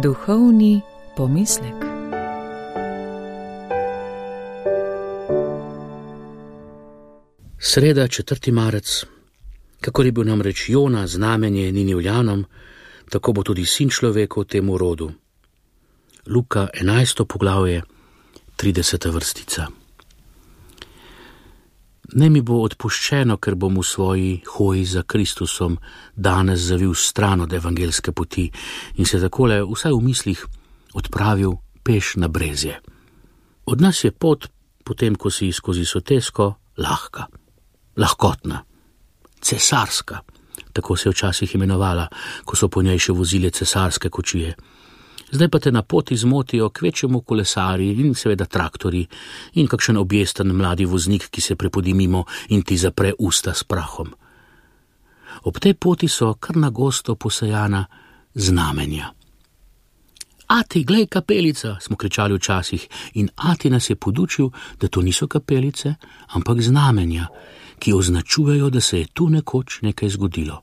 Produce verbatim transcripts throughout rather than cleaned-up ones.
Duhovni pomislek. Sreda, četrti marec. Kakor je bil namreč Jona znamenje Ninivljanom, tako bo tudi sin človekov temu rodu. Luka enajsto poglavje, trideseta vrstica. Ne mi bo odpuščeno, ker bom v svoji hoji za Kristusom danes zavil stran od evangelske poti in se takole vsaj v mislih odpravil peš na brezje. Od nas je pot, potem ko si skozi sotesko, lahka, lahkotna, cesarska, tako se je včasih imenovala, ko so po njej še vozile cesarske kočije. Zdaj pa te na poti zmotijo kvečjemu kolesarji in seveda traktori in kakšen objesten mladi voznik, ki se prepodi mimo in ti zapre usta s prahom. Ob tej poti so kar nagosto posejana znamenja. Ati, glej, kapelica, smo kričali včasih, in ati nas je podučil, da to niso kapelice, ampak znamenja, ki označujejo, da se je tu nekoč nekaj zgodilo.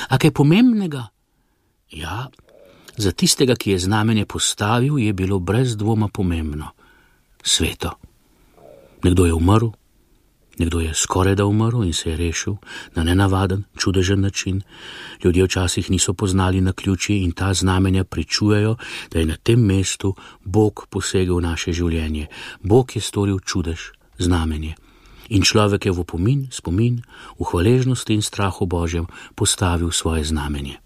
A kaj pomembnega? Ja, za tistega, ki je znamenje postavil, je bilo brez dvoma pomembno. Sveto. Nekdo je umrl, nekdo je skoraj da umrl in se je rešil na nenavaden, čudežen način. Ljudje včasih niso poznali naključij in ta znamenja pričujejo, da je na tem mestu Bog posegel v naše življenje. Bog je storil čudež, znamenje. In človek je v opomin, spomin, v hvaležnosti in strahu Božjem postavil svoje znamenje.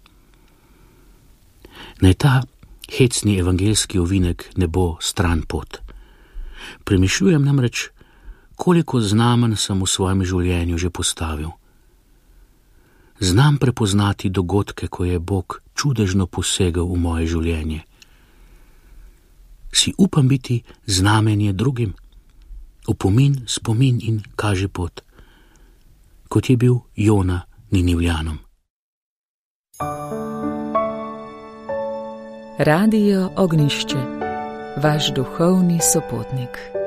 Naj ta hecni evangelski ovinek ne bo stran pot. Premišljujem namreč, koliko znamen sem v svojem življenju že postavil. Znam prepoznati dogodke, ko je Bog čudežno posegel v moje življenje. Si upam biti znamenje drugim, opomin, spomin in kaži pot, kot je bil Jona Ninivljanom. Radio Ognjišče, vaš duhovni sopotnik.